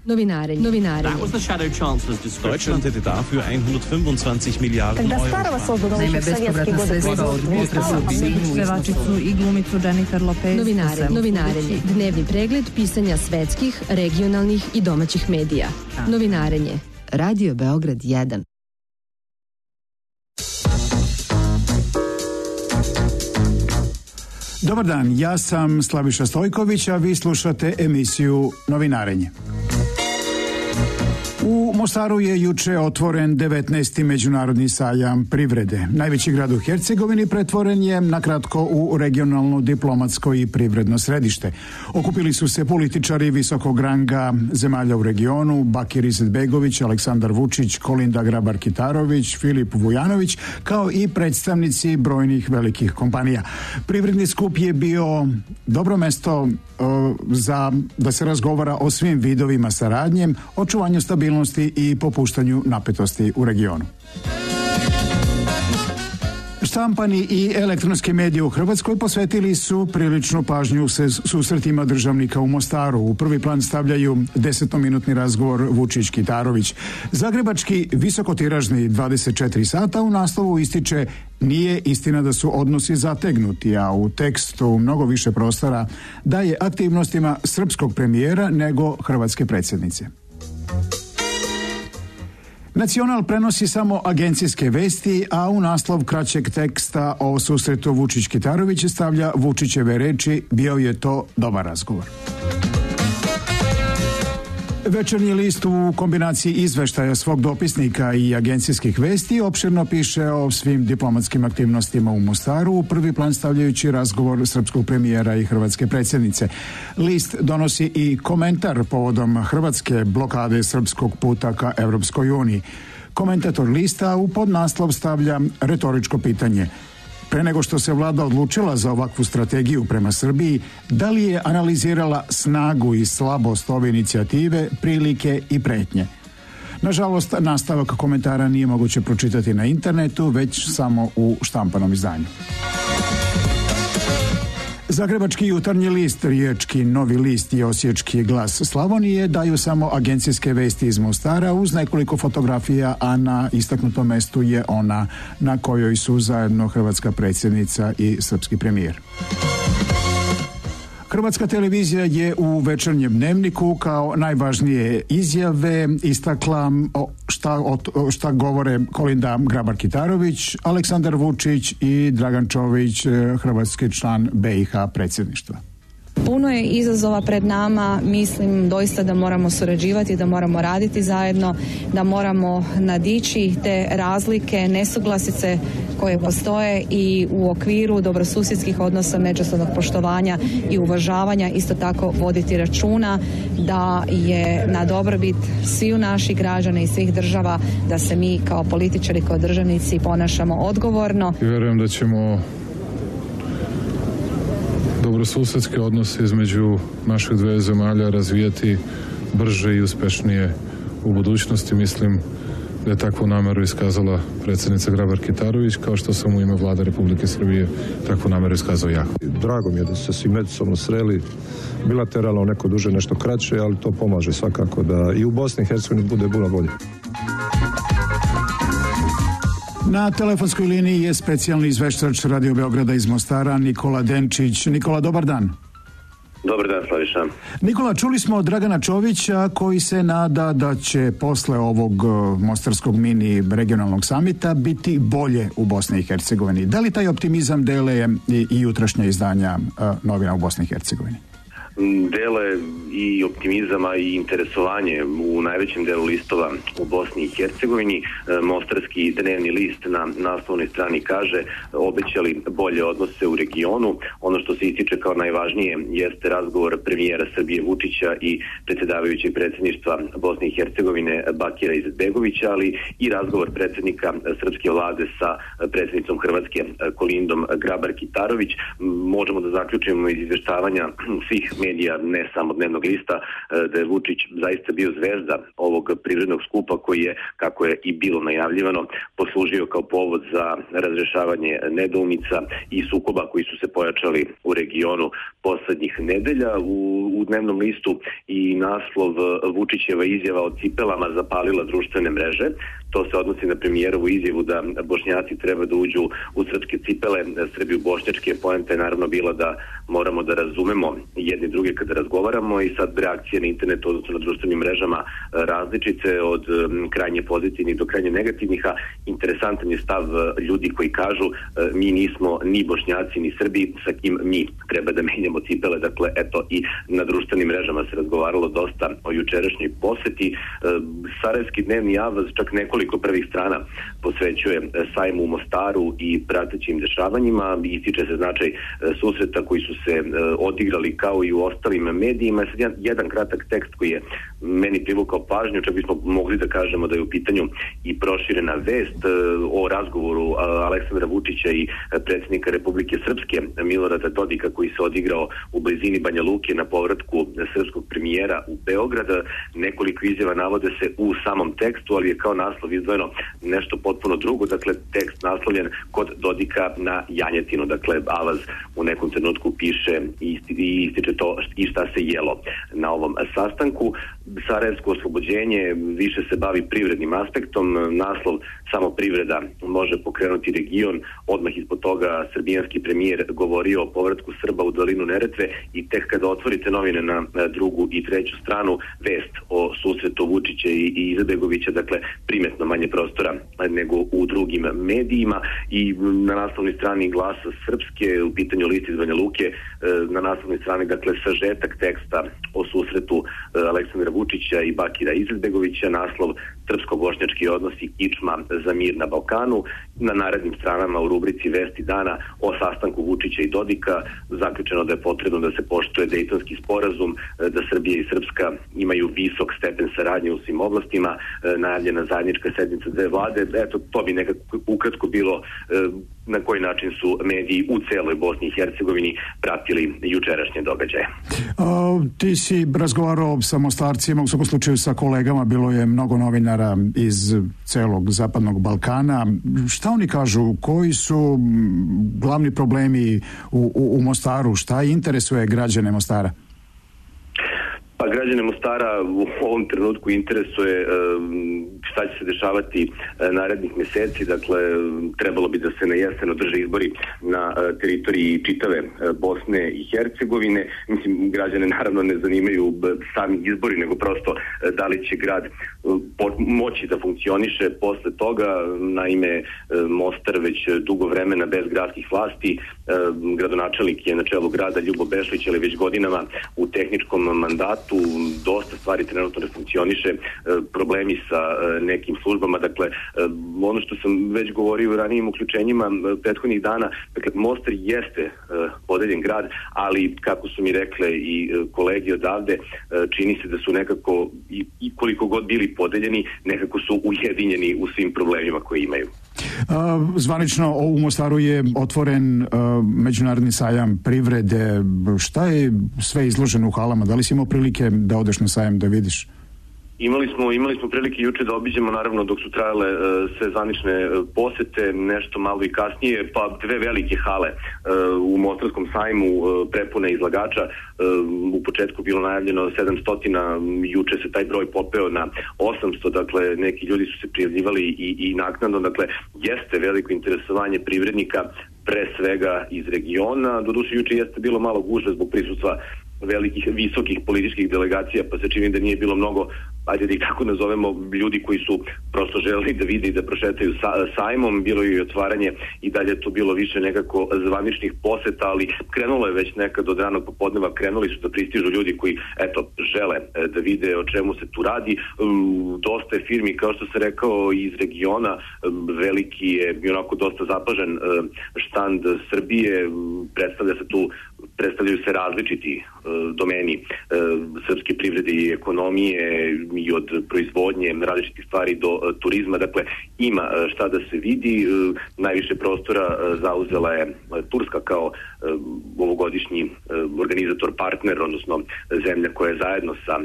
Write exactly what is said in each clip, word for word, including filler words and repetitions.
Novinarenje. Novinarenje. That was the shadow chancellor's description. Deutschland hätte dafür hundertfünfundzwanzig Miliarden Euro. Naime, bespovratna sredstva od pevačicu i glumicu Jennifer Lopez. Novinarenje. Novinarenje. Dnevni pregled pisanja svetskih, regionalnih i domaćih medija. Novinarenje. Radio Beograd jedan. Dobar dan, ja sam Slaviša Stojković, a vi slušate emisiju Novinarenje. U Mostaru je juče otvoren devetnaesti međunarodni sajam privrede. Najveći grad u Hercegovini pretvoren je nakratko u regionalno diplomatsko i privredno središte. Okupili su se političari visokog ranga zemalja u regionu, Bakir Izetbegović, Aleksandar Vučić, Kolinda Grabar-Kitarović, Filip Vujanović, kao i predstavnici brojnih velikih kompanija. Privredni skup je bio dobro mesto uh, za da se razgovara o svim vidovima saradnje, očuvanju stabilnosti i popuštanju napetosti u regionu. Štampani i elektronski mediji u Hrvatskoj posvetili su priličnu pažnju se susretima državnika u Mostaru. U prvi plan stavljaju desetominutni razgovor Vučić-Kitarović. Zagrebački visokotiražni dvadeset četiri sata u naslovu ističe: nije istina da su odnosi zategnuti, a u tekstu mnogo više prostora daje aktivnostima srpskog premijera nego hrvatske predsjednice. Nacional prenosi samo agencijske vesti, a u naslov kraćeg teksta o susretu Vučić-Kitarović stavlja Vučićeve reči: bio je to dobar razgovor. Večernji list u kombinaciji izveštaja svog dopisnika i agencijskih vesti opširno piše o svim diplomatskim aktivnostima u Mostaru, u prvi plan stavljajući razgovor srpskog premijera i hrvatske predsjednice. List donosi i komentar povodom hrvatske blokade srpskog puta ka Evropskoj uniji. Komentator lista u podnaslov stavlja retoričko pitanje: pre nego što se vlada odlučila za ovakvu strategiju prema Srbiji, da li je analizirala snagu i slabost ove inicijative, prilike i pretnje? Nažalost, nastavak komentara nije moguće pročitati na internetu, već samo u štampanom izdanju. Zagrebački jutarnji list, Riječki Novi list i Osječki Glas Slavonije daju samo agencijske vesti iz Mostara uz nekoliko fotografija, a na istaknutom mestu je ona na kojoj su zajedno hrvatska predsjednica i srpski premijer. Hrvatska televizija je u večernjem dnevniku kao najvažnije izjave istakla šta, šta govore Kolinda Grabar-Kitarović, Aleksandar Vučić i Dragan Čović, hrvatski član be i ha predsjedništva. Puno je izazova pred nama, mislim doista da moramo surađivati, da moramo raditi zajedno, da moramo nadići te razlike, nesuglasice koje postoje i u okviru dobrosusjedskih odnosa, međusobnog poštovanja i uvažavanja isto tako voditi računa da je na dobrobit sviju naših građana i svih država da se mi kao političari, kao državnici ponašamo odgovorno. I vjerujem da ćemo dobrosusjedske odnose između naših dve zemalja razvijati brže i uspešnije u budućnosti. Mislim da je takvu nameru iskazala predsjednica Grabar-Kitarović, kao što sam u ime Vlade Republike Srbije takvu nameru iskazao ja. Drago mi je da su se svi međusobno sreli, bilateralno, neko duže, nešto kraće, ali to pomaže svakako da i u Bosni i Hercegovini bude puno bolje. Na telefonskoj liniji je specijalni izveštač Radio Beograda iz Mostara Nikola Denčić. Nikola, dobar dan. Dobar dan, Slaviša. Nikola, čuli smo od Dragana Čovića koji se nada da će posle ovog mostarskog mini regionalnog samita biti bolje u Bosni i Hercegovini. Da li taj optimizam dele i, i jutrašnja izdanja novina u Bosni i Hercegovini? Dele i optimizama i interesovanje u najvećem delu listova u Bosni i Hercegovini. Mostarski dnevni list na naslovnoj strani kaže: obećali bolje odnose u regionu. Ono što se ističe kao najvažnije jeste razgovor premijera Srbije Vučića i predsjedavajućeg predsjedništva Bosne i Hercegovine Bakira Izetbegovića, ali i razgovor predsjednika srpske vlade sa predsjednicom Hrvatske Kolindom Grabar-Kitarović. Možemo da zaključimo iz izvještavanja svih medija, ne samo dnevnog lista, da je Vučić zaista bio zvezda ovog privrednog skupa koji je, kako je i bilo najavljivano, poslužio kao povod za razrešavanje nedoumica i sukoba koji su se pojačali u regionu poslednjih nedelja. U, u dnevnom listu i naslov Vučićeva izjava o cipelama zapalila društvene mreže. To se odnosi na premijerovu izjavu da Bošnjaci treba da uđu u srpske cipele, Srbi u bošnjačke. Poenta je naravno bila da moramo da razumemo jedni druge kada razgovaramo i sad reakcije na internetu, odnosno na društvenim mrežama različite od krajnje pozitivnih do krajnje negativnih, a interesantan je stav ljudi koji kažu mi nismo ni Bošnjaci ni Srbi, sa kim mi treba da menjamo cipele. Dakle, eto, i na društvenim mrežama se razgovaralo dosta o jučerašnjoj poseti. Sarajevski dnevni avaz čak nekoliko prvih strana posvećuje sajmu u Mostaru i pratećim dešavanjima. Ističe se značaj susreta koji su se odigrali kao i u ostalim medijima. Sad jedan, jedan kratak tekst koji je meni privukao pažnju, čak bismo mogli da kažemo da je u pitanju i proširena vest o razgovoru Aleksandra Vučića i predsjednika Republike Srpske Milorada Dodika koji se odigrao u blizini Banja Luke na povratku srpskog premijera u Beograd. Nekoliko izjava navode se u samom tekstu, ali je kao naslov izdvojeno nešto potpuno drugo. Dakle, tekst naslovljen kod Dodika na janjetinu. Dakle, avaz u nekom trenutku piše i ističe to i šta se jelo na ovom sastanku. Sarajevsko oslobođenje više se bavi privrednim aspektom. Naslov samo privreda može pokrenuti region. Odmah ispod toga srbijanski premijer govorio o povratku Srba u dolinu Neretve i tek kada otvorite novine na drugu i treću stranu, vest o susretu Vučića i Izetbegovića, dakle primetno manje prostora nego u drugim medijima. I na naslovnoj strani Glasa Srpske, u pitanju list iz Banja Luke, na naslovnoj strani, dakle, sažetak teksta o susretu Aleksandra Vučića i Bakira Izetbegovića, naslov srpsko-bošnjački odnosi kičma za mir na Balkanu. Na narednim stranama u rubrici Vesti dana o sastanku Vučića i Dodika zaključeno da je potrebno da se poštuje Dejtonski sporazum, da Srbija i Srpska imaju visok stepen saradnje u svim oblastima, najavljena zajednička sednica dve vlade. Eto, to bi nekako ukratko bilo na koji način su mediji u celoj Bosni i Hercegovini pratili jučerašnje događaje. A, ti si razgovarao sa Mostarcima, u svakom slučaju sa kolegama, bilo je mnogo novinara iz celog zapadnog Balkana. Šta oni kažu? Koji su glavni problemi u, u, u Mostaru? Šta interesuje građane Mostara? Pa građane Mostara u ovom trenutku interesuje šta će se dešavati narednih meseci. Dakle, trebalo bi da se na jesen održe izbori na teritoriji čitave Bosne i Hercegovine. Mislim, građane naravno ne zanimaju sami izbori, nego prosto da li će grad moći da funkcioniše posle toga. Naime, Mostar već dugo vremena bez gradskih vlasti. Gradonačelnik je na čelu grada Ljubo Bešlić, ali već godinama u tehničkom mandatu. Dosta stvari trenutno ne funkcioniše, problemi sa nekim službama. Dakle, ono što sam već govorio u ranijim uključenjima prethodnih dana, dakle, Mostar jeste podeljen grad, ali kako su mi rekle i kolegi odavde, čini se da su nekako, i koliko god bili podeljeni, nekako su ujedinjeni u svim problemima koje imaju. Zvanično u Mostaru je otvoren međunarodni sajam privrede. Šta je sve izloženo u halama? Da li si imao prilike da odeš na sajam da vidiš? Imali smo, imali smo prilike juče da obiđemo, naravno dok su trajale uh, sve zvanične uh, posete, nešto malo i kasnije, pa dve velike hale uh, u Mostarskom sajmu, uh, prepune izlagača. Uh, u početku bilo najavljeno sedamsto, juče se taj broj popeo na osamsto, dakle neki ljudi su se prijavljivali i, i naknadno, dakle jeste veliko interesovanje privrednika, pre svega iz regiona. Doduše juče jeste bilo malo gužve zbog prisustva velikih, visokih političkih delegacija, pa se čini da nije bilo mnogo, ajde da ih tako nazovemo, ljudi koji su prosto želeli da vide i da prošetaju sa, sajmom. Bilo je i otvaranje i dalje to bilo više nekako zvaničnih poseta, ali krenulo je već nekad od ranog popodneva, krenuli su da pristižu ljudi koji, eto, žele da vide o čemu se tu radi. Dosta je firmi, kao što se rekao, iz regiona. Veliki je i onako dosta zapažen štand Srbije, predstavlja se tu predstavljaju se različiti domeni srpske privrede i ekonomije i od proizvodnje različitih stvari do turizma. Dakle, ima šta da se vidi. Najviše prostora zauzela je Turska kao ovogodišnji organizator partner, odnosno zemlja koja je zajedno sa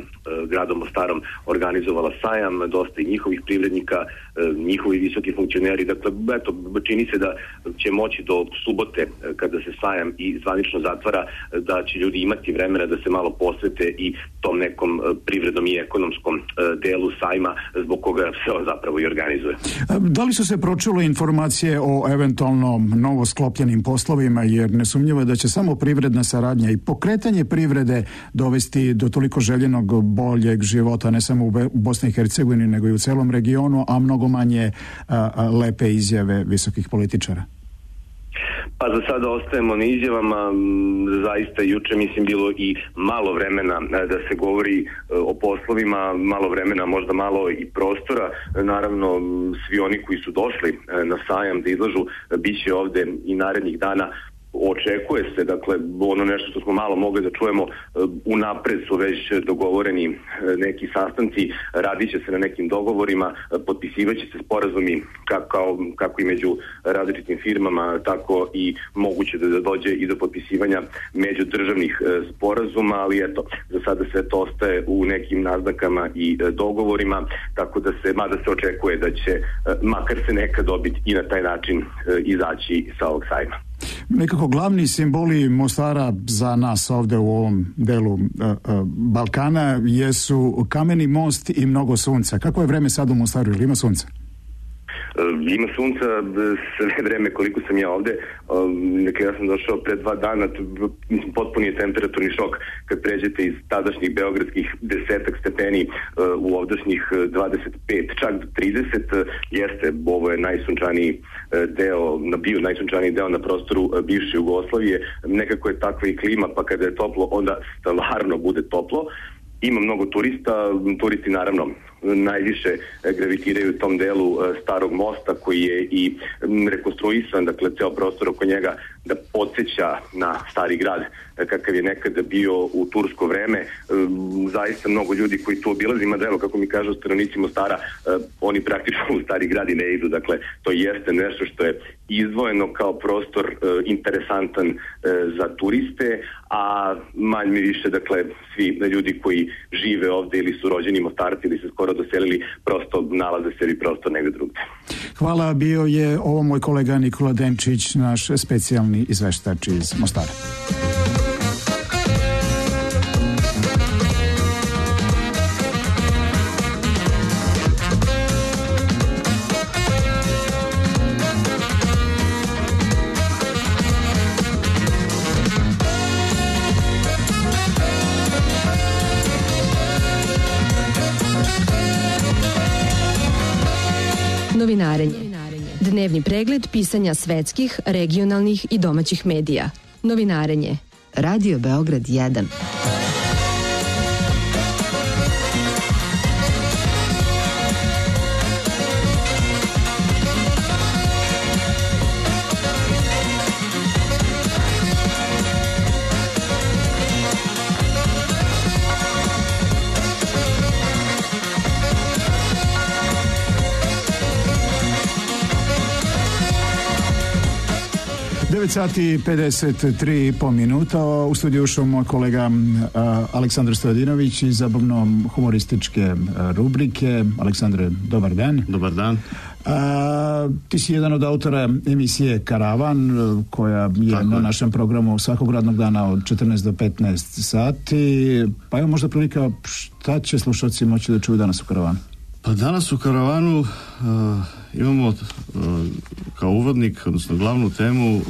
gradom Mostarom organizovala sajam, dosta i njihovih privrednika, njihovi visoki funkcioneri. Dakle, eto, čini se da će moći do subote, kada se sajam i zvanično zatvara, da će ljudi imati vremena da se malo posvete i tom nekom privrednom i ekonomskom delu sajma, zbog koga se zapravo i organizuje. Da li su se pročule informacije o eventualno novo sklopljenim poslovima, jer nesumnjivo je da će samo privredna saradnja i pokretanje privrede dovesti do toliko željenog boljeg života, ne samo u Bosni i Hercegovini, nego i u celom regionu, a mnogo manje a, a, lepe izjave visokih političara? Pa za sada ostajemo na izjavama. Zaista juče mislim bilo i malo vremena da se govori o poslovima, malo vremena, možda malo i prostora. Naravno, svi oni koji su došli na sajam da izlažu bit će ovde i narednih dana. Očekuje se, dakle, ono nešto što smo malo mogli da čujemo, unapred su već dogovoreni neki sastanci, radit će se na nekim dogovorima, potpisivat će se sporazumi kako, kako i među različitim firmama, tako i moguće da dođe i do potpisivanja međudržavnih sporazuma, ali eto, za sada sve to ostaje u nekim naznakama i dogovorima, tako da se, mada se očekuje da će makar se nekad dobiti i na taj način izaći sa ovog sajma. Nekako glavni simboli Mostara za nas ovde u ovom delu uh, uh, Balkana jesu kameni most i mnogo sunca. Kako je vreme sad u Mostaru? Ili ima sunca? Ima sunca sve vreme koliko sam ja ovde. Dakle, ja sam došao pre dva dana, potpuni je temperaturni šok kad pređete iz tadašnjih beogradskih desetak stepeni u ovdašnjih dvadeset pet, čak do trideset. Jeste, ovo je najsunčaniji deo, bio najsunčaniji deo na prostoru bivše Jugoslavije. Nekako je takva i klima, pa kada je toplo, onda stvarno bude toplo. Ima mnogo turista, turisti naravno najviše gravitiraju u tom delu starog mosta koji je i rekonstruisan, dakle ceo prostor oko njega da podsjeća na stari grad kakav je nekada bio u tursko vreme. Zaista mnogo ljudi koji tu obilazi, mada evo kako mi kažu stanovnici Mostara, oni praktično u stari grad i ne idu, dakle to jeste nešto što je izdvojeno kao prostor interesantan za turiste, a manje više, dakle, svi ljudi koji žive ovde ili su rođeni Mostarci ili se skoro doselili, prosto nalaze sebi prostor negde drugde. Hvala, bio je ovo moj kolega Nikola Demčić, naš specijalni izveštač iz Mostara. Novinarenje. Dnevni pregled pisanja svetskih, regionalnih i domaćih medija. Novinarenje. Radio Beograd jedan. devet sati pedeset tri i po minuta. U studiju ušao moj kolega a, Aleksandar Stojadinović iz zabavno-humorističke rubrike. Aleksandre, dobar dan. Dobar dan. A, ti si jedan od autora emisije Karavan, koja je Tako na je. našem programu svakog radnog dana od četrnaest do petnaest sati. Pa evo možda prilika, šta će slušalci moći da čuju danas u Karavanu? Pa danas u Karavanu uh, imamo uh, kao uvodnik, odnosno glavnu temu uh,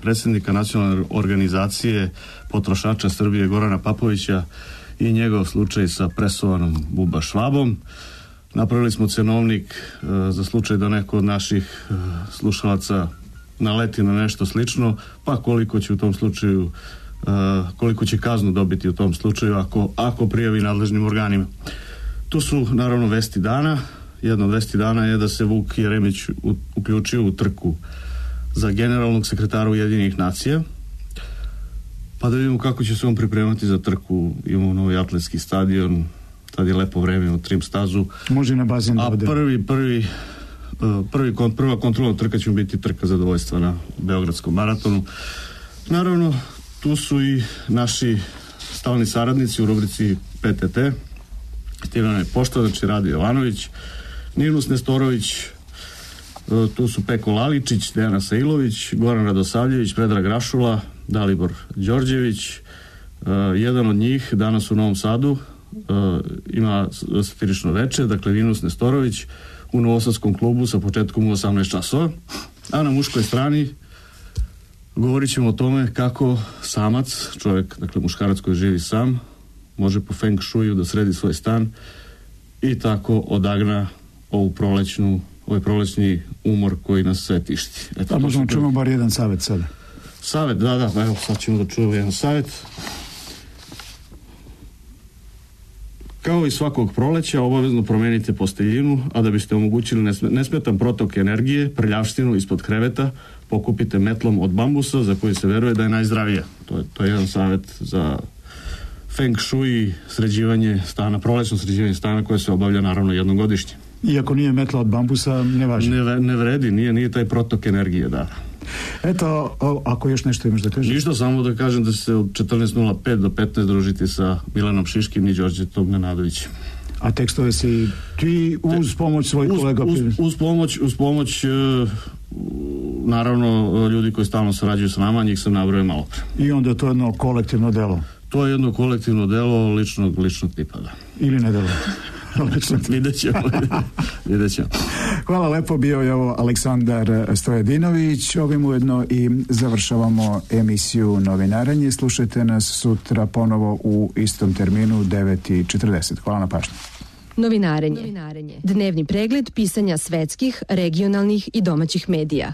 predsjednika nacionalne organizacije potrošača Srbije Gorana Papovića i njegov slučaj sa presovanom Buba Švabom. Napravili smo cenovnik uh, za slučaj da neko od naših uh, slušalaca naleti na nešto slično, pa koliko će u tom slučaju uh, koliko će kaznu dobiti u tom slučaju ako, ako prijavi nadležnim organima. Tu su naravno vesti dana. Jedna od vesti dana je da se Vuk Jeremić u, uključio u trku za generalnog sekretara Ujedinjenih nacija. Pa da vidimo kako će se on pripremati za trku. Imamo novi atletski stadion, tad je lepo vreme u trim stazu. Može na bazen da A ode. prvi, prvi, prvi, prva kontrolna trka će biti trka zadovoljstva na Beogradskom maratonu. Naravno, tu su i naši stalni saradnici u rubrici P T T. Tivana Pošta, znači Rade Jovanović, Ninus Nestorović, tu su Peko Laličić, Dejana Sailović, Goran Radosavljević, Predrag Rašula, Dalibor Đorđević. Jedan od njih danas u Novom Sadu ima satirično veče, dakle Ninus Nestorović u Novosadskom klubu sa početkom u osamnaest časova. A na muškoj strani govorit ćemo o tome kako samac, čovjek, dakle muškarac koji živi sam, može po feng shuiju da sredi svoj stan i tako odagna ovu prolećnu, ovaj prolećni umor koji nas sve tišti. Eto, pa možemo čujemo bar jedan savjet sada. Savjet, da, da, pa evo sad ćemo da čujemo jedan savjet. Kao i svakog proleća, obavezno promenite posteljinu, a da biste omogućili nesmetan protok energije, prljavštinu ispod kreveta, pokupite metlom od bambusa za koji se veruje da je najzdravija. To je, to je jedan savjet za feng shui, sređivanje stana, prolećno sređivanje stana koje se obavlja naravno jednom godišnje. Iako nije metla od bambusa, ne važi. Ne, ne vredi, nije, nije taj protok energije, da. Eto, o, ako još nešto imaš da kažeš? Ništa, samo da kažem da će se od četrnaest nula pet do petnaest družiti sa Milanom Šiškim i Đorđetom Nenadovićem. A tekstove si ti uz pomoć svojih uz, kolega? Uz, uz pomoć, uz pomoć uh, naravno ljudi koji stalno sarađuju s nama, njih sam nabrojao malo pre. I onda to je jedno kolektivno delo? To je jedno kolektivno delo ličnog, ličnog tipa, da. Ili ne delo? Vidjet ćemo. Vidjet ćemo. Hvala lepo, bio je ovo Aleksandar Stojadinović. Ovim ujedno i završavamo emisiju Novinarenje. Slušajte nas sutra ponovo u istom terminu devet i četrdeset. Hvala na pažnji. Novinarenje. Dnevni pregled pisanja svetskih, regionalnih i domaćih medija.